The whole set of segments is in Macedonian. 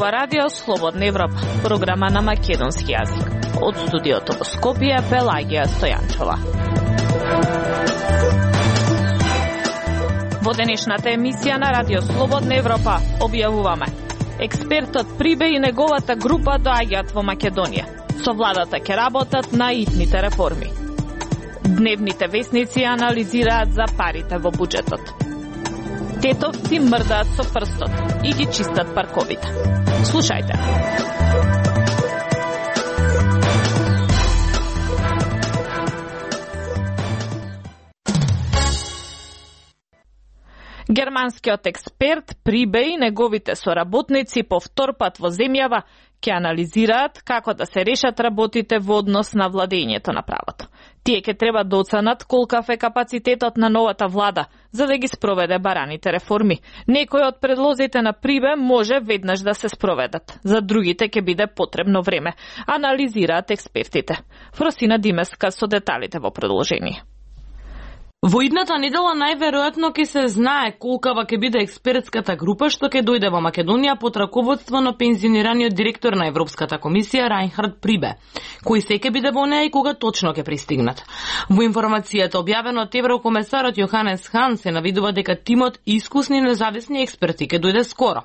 зборува Радио Слободна Европа, програма на македонски јазик. Од студиото во Скопје, Пелагија Стојанчова. Во денешната емисија на Радио Слободна Европа објавуваме: експертот Прибе и неговата група доаѓаат во Македонија. Со владата ќе работат на итните реформи. Дневните весници анализираат за парите во буџетот. Тетовци мрдаат со прстот и ги чистат парковите. Слушајте. Германскиот експерт Прибе и неговите соработници по втор пат во земјава ќе анализираат како да се решат работите во однос на владењето на правото. Тие ќе треба да оценат колкав е капацитетот на новата влада за да ги спроведе бараните реформи. Некои од предлозите на Прибе може веднаш да се спроведат, за другите ќе биде потребно време, анализираат експертите. Фросина Димеска со деталите во продолжение. Во идната недела најверојатно ќе се знае колкава ќе биде експертската група што ќе дојде во Македонија под раководство на пензионираниот директор на Европската комисија Райнхард Прибе, кој се ќе биде во неа и кога точно ќе пристигнат. Во информацијата објавена од еврокомесарот Јоханес Хан се навидува дека тимот искусни независни експерти ќе дојде скоро.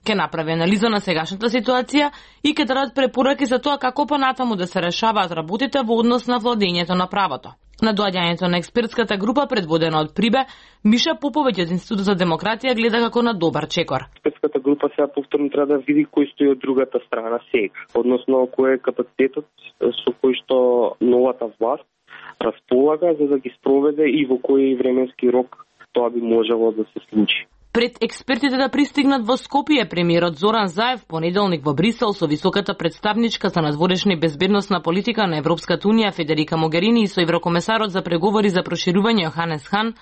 Ќе направи анализа на сегашната ситуација и ќе дадат препораки за тоа како понатаму да се решаваат работите во однос на владењето на правото. На доаѓањето на експертската група предводена од Прибе, Миша Поповиќ од Институтот за демократија гледа како на добар чекор. Експертската група сега повторно треба да види кој стои од другата страна сега, односно кој е капацитетот со кој што новата власт располага за да ги спроведе и во кој временски рок тоа би можело да се случи. Пред експертите да пристигнат во Скопје, премиерот Зоран Заев понеделник во Брисел со високата представничка за надворешна и безбедносна политика на Европската унија Федерика Могерини и со еврокомесарот за преговори за проширување Јоханес Хан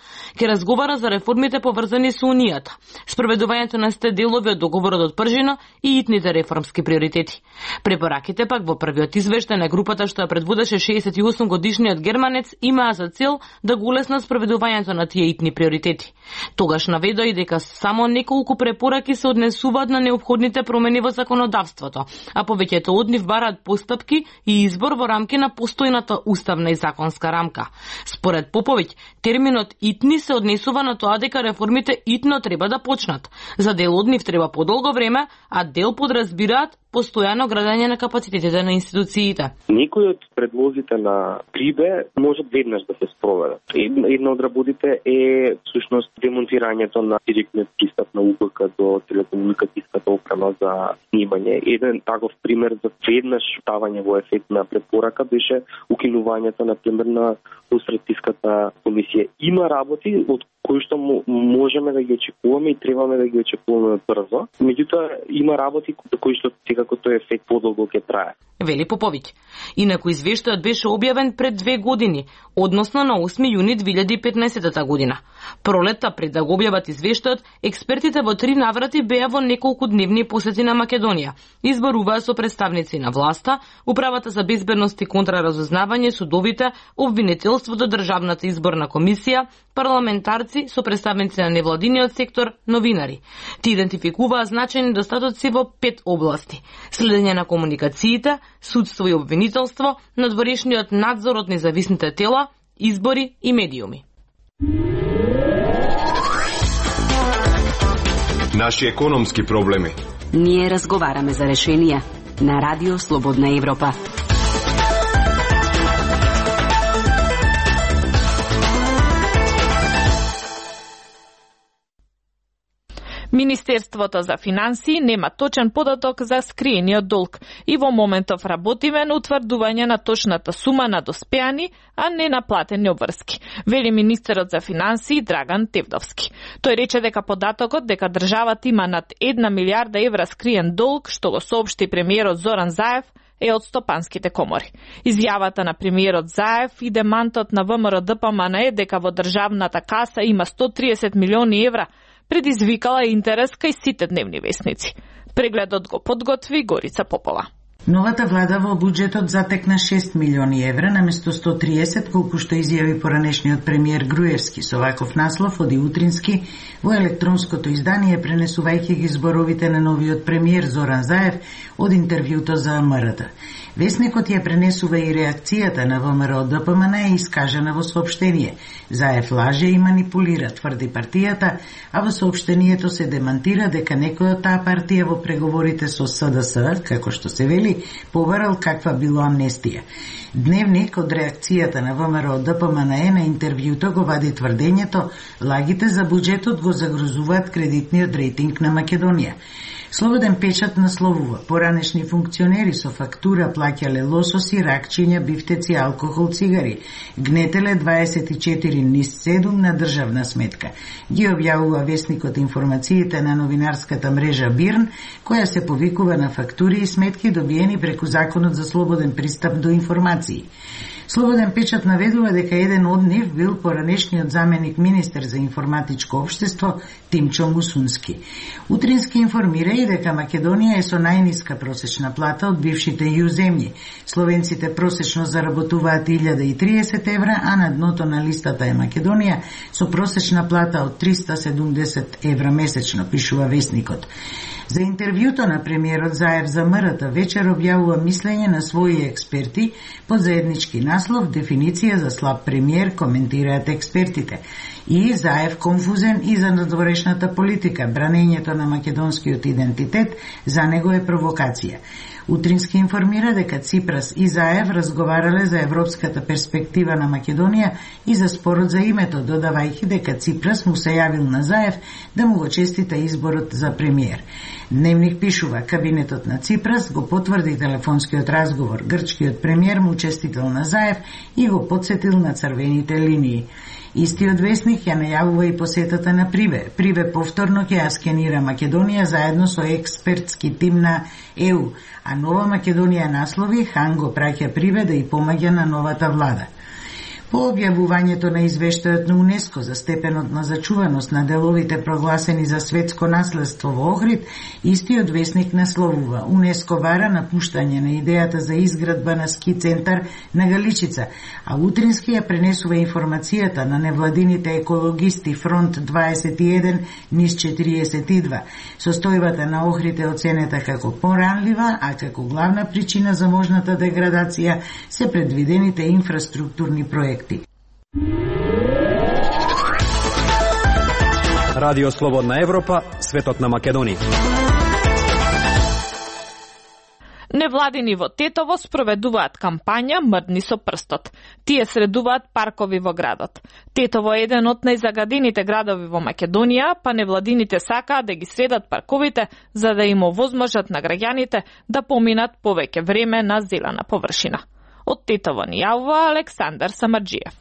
ќе разговара за реформите поврзани со унијата, спроведувањето на сте делови од договорот од Пржино и итните реформски приоритети. Препораките пак во првиот извештај на групата што ја предводеше 68 годишниот германец имаа за цел да го улеснат спроведувањето на тие итни приоритети. Тогаш наведоа и дека само неколку препораки се однесуваат на неопходните промени во законодавството, а повеќето од нив бараат постапки и избор во рамки на постојната уставна и законска рамка. Според Поповиќ, терминот итни се однесува на тоа дека реформите итно треба да почнат. За дел од нив треба подолго време, а дел подразбираат постојано градење на капацитетите на институциите. Некои од предлозите на Прибе можат веднаш да се спроведат. Една од работите е всушност демонтирањето на директниот пристап на УПК до телекомуникацијската опрема за снимање. Еден таков пример за веднаш ставање во ефект на препорака беше укинувањето на пример на Лустратиската комисија. Има работи од кои што можеме да ги очекуваме и требаме да ги очекуваме брзо. Меѓутоа има работи кои што секако тој ефект подолго ќе трае. Вели Поповиќ. Инаку извештајот беше објавен пред 2 години, односно на 8 јуни 2015 година. Пролетта пред да го објават извештајот, експертите во 3 наврати беа во неколку дневни посети на Македонија. Изборуваа со представници на власта, Управата за безбедност и контраразузнавање, судовите, обвинителството, Државната изборна комисија, парламентарци со представници на невладиниот сектор, новинари. Ти идентификуваа значајни недостатоци во 5 области: следење на комуникациите, судство и обвинителство, надворешниот надзор од независните тела, избори и медиуми. Наши економски проблеми. Ние разговараме за решенија на Радио Слободна Европа. Министерството за финансии нема точен податок за скриениот долг и во моментов работиме на утврдување на точната сума на доспеани, а не наплатени обврски, вели министерот за финансии Драган Тевдовски. Тој рече дека податокот дека државата има над 1 милиарда евра скриен долг, што го соопшти премиерот Зоран Заев, е од стопанските комори. Изјавата на премиерот Заев и демантот на ВМРО ДПМН е дека во државната каса има 130 милиони евра, предизвикала интерес кај сите дневни весници. Прегледот го подготви Горица Попова. Новата влада во буџетот затекна 6 милиони евра наместо 130, колку што изјави поранешниот премиер Груевски. Со ваков наслов оди утрински во електронското издание, пренесувајќи ги зборовите на новиот премиер Зоран Заев од интервјуто за МРТ. Весникот ја пренесува и реакцијата на ВМРО ДПМН е искажена во соопштение. Заев лаже и манипулира, тврди партијата, а во соопштението се демантира дека некој од таа партија во преговорите со СДС, како што се вели, побарал каква било амнестија. Дневник од реакцијата на ВМРО ДПМН на интервјуто го вади тврдењето лагите за буџетот го загрозуваат кредитниот рейтинг на Македонија. Слободен печат насловува: поранешни функционери со фактура плаќале лососи, ракчиња, бифтеци, алкохол, цигари. Гнетеле 24 низ 7 на државна сметка. Ги објавува весникот информациите на новинарската мрежа Бирн, која се повикува на фактури и сметки добиени преку Законот за слободен пристап до информации. Слободен печат наведува дека еден од нив бил поранешниот заменик министер за информатичко општество Тимчо Мусунски. Утрински информира и дека Македонија е со најниска просечна плата од бившите ју земји. Словенците просечно заработуваат 1030 евра, а на дното на листата е Македонија со просечна плата од 370 евра месечно, пишува весникот. За интервјуто на премиерот Заев за МРТ вечер објавува мислење на своји експерти под заеднички наслов "Дефиниција за слаб премиер", коментираат експертите. И Заев конфузен и за надворешната политика, бранењето на македонскиот идентитет за него е провокација. Утрински информира дека Ципрас и Заев разговарале за европската перспектива на Македонија и за спорот за името, додавајќи дека Ципрас му се јавил на Заев да му го честита изборот за премиер. Дневник пишува: кабинетот на Ципрас го потврди телефонскиот разговор. Грчкиот премиер му честител на Заев и го потсетил на црвените линии. Истиот весник ја најавува и посетата на Прибе. Прибе повторно ќе ја скенира Македонија заедно со експертски тим на ЕУ, а Нова Македонија наслови: Хан го праќа Прибе да и помаѓа на новата влада. По објавувањето на извештајот на УНЕСКО за степенот на зачуваност на деловите прогласени за светско наследство во Охрид, истиот весник насловува: УНЕСКО бара напуштање на идејата за изградба на ски центар на Галичица, а утрински ја пренесува информацијата на невладините екологисти Фронт 21 низ 42. Состојбата на Охрид е оценета како поранлива, а како главна причина за можната деградација се предвидените инфраструктурни проекти. Радио Слободна Европа, светот на Македонија. Невладини во Тетово спроведуваат кампања "Мрдни со прстот". Тие средуваат паркови во градот. Тетово е еден од најзагадените градови во Македонија, па невладините сакаат да ги средат парковите за да им овозможат на граѓаните да поминат повеќе време на зелена површина. Од Тетово ни јавува Александар Самарџиев.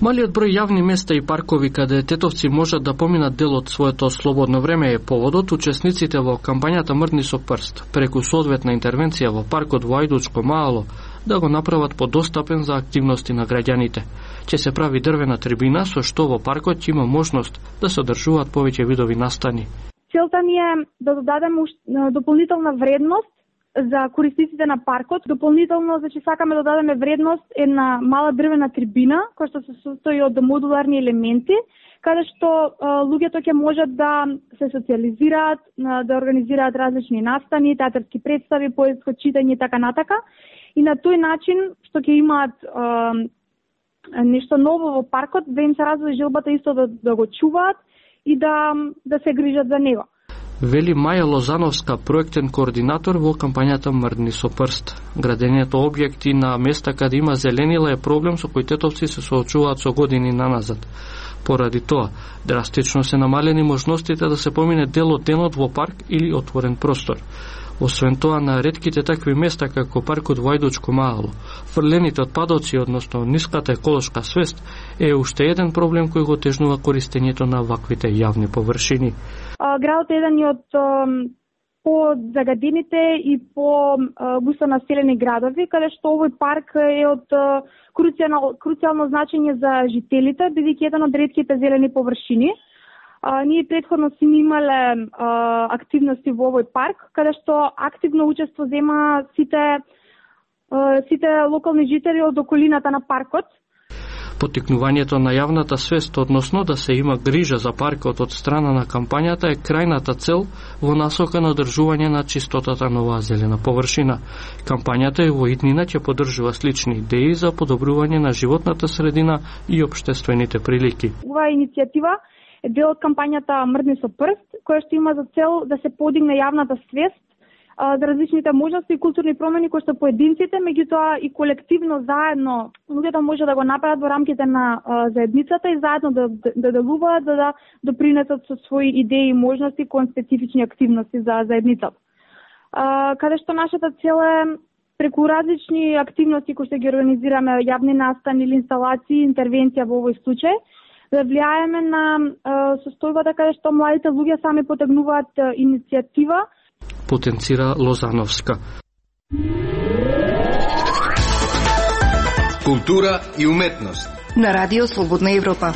Малиот број јавни места и паркови каде тетовци можат да поминат дел од своето слободно време е поводот учесниците во кампањата "Мрдни со прст" преку соодветна интервенција во паркот во Ајдучко Маало да го направат подостапен за активности на граѓаните. Ќе се прави дрвена трибина со што во паркот има можност да се одржуваат повеќе видови настани. Целта ни е да додадеме дополнителна вредност за користиците на паркот. Дополнително, сакаме да дадеме вредност една мала дрвена трибина, која што се состои од модуларни елементи, каде што луѓето ќе можат да се социализираат, да организираат различни настани, театарски представи, поетско читање и така натака. И на тој начин што ќе имаат нешто ново во паркот, да им се развие желбата исто да го чуваат и да се грижат за него. Вели Маја Лозановска, проектен координатор во кампањата "Мрдни со прст". Градењето објекти на места каде има зеленила е проблем со кој тетовци се соочуваат со години наназад. Поради тоа, драстично се намалени можностите да се помине дел од денот во парк или отворен простор. Освен тоа, на ретките такви места како паркот во Ајдучко Маало, фрлените отпадоци, односно ниската еколошка свест, е уште еден проблем кој го тежнува користењето на ваквите јавни површини. Градот е еден од по-загадените и по-густо населени градови, каде што овој парк е од круцијално значење за жителите, бидејќи еден од ретките зелени површини. Ние претходно сме имале активности во овој парк, каде што активно учество зема сите локални жители од околината на паркот. Поттикнувањето на јавната свест односно да се има грижа за паркот од страна на кампањата е крајната цел во насока на одржување на чистотата на оваа зелена површина. Кампањата и во иднина ќе поддржува слични идеи за подобрување на животната средина и општествените прилики. Оваа иницијатива е дел од кампањата Мрдни со прст, која што има за цел да се подигне јавната свест за различните можности и културни промени кои што поединците, меѓутоа и колективно заедно луѓето може да го направат во рамките на заедницата и заедно да делуваат, да допринесат со своји идеи и можности кон специфични активности за заедницата. Каде што нашата цел е преку различни активности кои што ги организираме, јавни настани или инсталации, интервенција во овој случај, да влијаеме на состојбата каде што младите луѓе сами потегнуваат иницијатива, потенцира Лозановска. Култура и уметност на Радио Слободна Европа.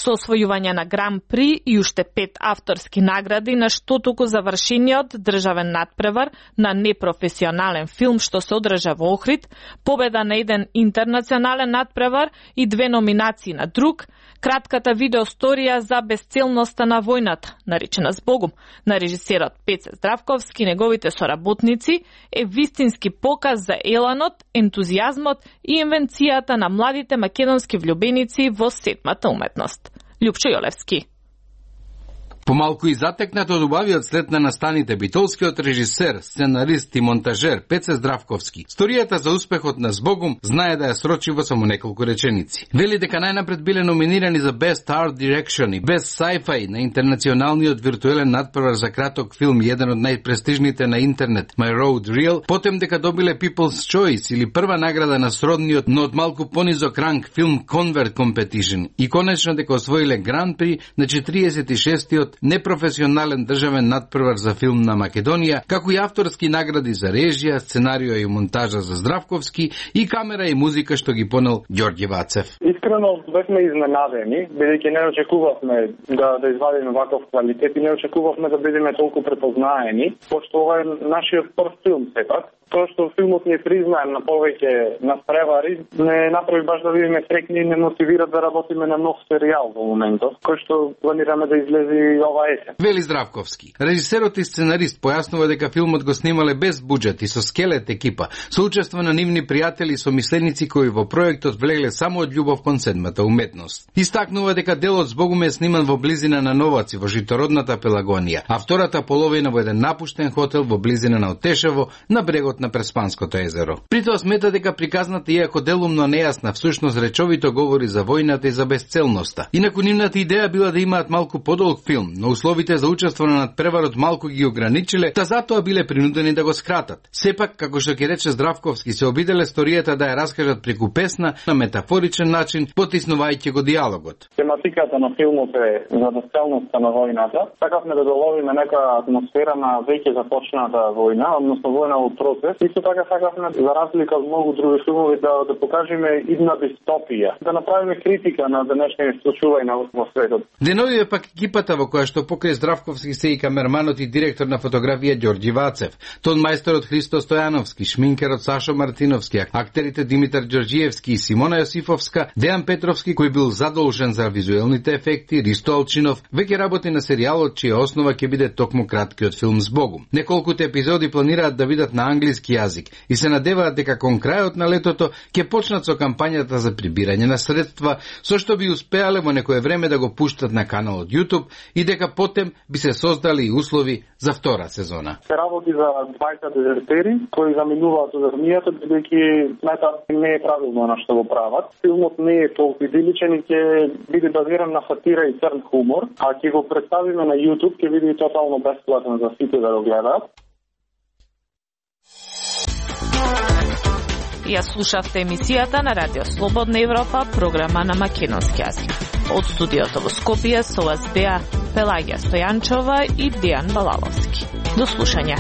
Со освојување на Гран При и уште 5 авторски награди на што туку завршениот државен надпревар на непрофесионален филм што се одржа во Охрид, победа на еден интернационален надпревар и 2 номинации на друг, кратката видеосторија за безцелноста на војната, наречена Збогум, на режисерот Пеце Здравковски и неговите соработници, е вистински показ за еланот, ентузијазмот и инвенцијата на младите македонски влюбеници во сетмата уметност. Љупчо Јолевски. Помалку и затекнат од убавиот след на настаните битолскиот режисер, сценарист и монтажер Пеце Здравковски, сторијата за успехот на Збогум знае да ја срочи во само неколку реченици. Вели дека најнапред биле номинирани за Best Art Direction и Best Sci-Fi на интернационалниот виртуелен надпревар за краток филм, еден од најпрестижните на интернет, My Road Reel, потем дека добиле People's Choice или прва награда на сродниот, но од малку понизок ранг филм Convert Competition и конечно дека освоиле Гран При на 46-тиот непрофесионален државен надпревар за филм на Македонија, како и авторски награди за режија, сценарио и монтажа за Здравковски и камера и музика што ги понел Ѓорѓе Вацев. Искрено бевме изненадени, бидејќи не очекувавме да извадиме ваков квалитет и не очекувавме да бидеме толку препознаени, пошто ова е нашиот прв филм сепак. Тоа што филмот ни е признаен на повеќе надпревари, не направи баш да бидеме среќни и не мотивира да работиме на нов серијал во моментот, кој што планираме да излезе ова есен. Вели Здравковски. Режисерот и сценарист појаснува дека филмот го снимале без буџет и со скелет екипа, со учество на нивни пријатели и somисленици кои во проектот влегле само од љубов кон седмата уметност. Истакнува дека делот Збогум е сниман во близина на Новаци, во житородната Пелагонија, а втората половина во еден напуштен хотел во близина на Отешево, на брегот на Преспанското езеро. При тоа смета дека приказната, иако делумно нејасна, всушност речовито говори за војната и за безцелноста. Инаку нивната идеја била да имаат малку подолг филм, но условите за учество на надпреварот малку ги ограничиле, та затоа биле принудени да го скратат. Сепак, како што ќе рече Здравковски, се обиделе сторијата да ја раскажат преку песна на метафоричен начин, потиснувајќи го диалогот. Тематиката на филмот е за безцелноста на војната. Сакавме да доловиме нека атмосфера на веќе започната војна, односно војна во процес. Исто така сакавме, за разлика од многу други филмови, да покажеме идна дистопија, да направиме критика на денешните случувања во светот. Деновиве пак екипата во која што покрај Здравковски се и камерманот и директор на фотографија Ѓорѓи Вацев, тон мајсторот Христо Стојановски, шминкерот Сашо Мартиновски, актерите Димитар Ѓорѓиевски и Симона Јосифовска, Дејан Петровски кој бил задолжен за визуелните ефекти, Ристо Алчинов, веќе работи на серијалот чија основа ќе биде токму краткиот филм Збогум. Неколкуте епизоди планираат да бидат на англиски јазик и се надеваат дека кон крајот на летото ќе почнат со кампањата за прибирање на средства, со што би успеале во некое време да го пуштат на каналот YouTube и дека потем би се создали и услови за втора сезона. Се работи за 20 дезертери кои заминуваат од армијата, бидејќи сметат не е правилно на што го прават. Филмот не е толку идиличен и ќе биде базиран на сатира и црн хумор, а ќе го представиме на YouTube, ќе биде тотално бесплатен за сите да го гледаат. Ја слушавте емисијата на Радио Слободна Европа, програма на македонски јазик. Од студиото во Скопје со вас беа Пелагија Стојанчова и Дејан Балаловски. До слушање.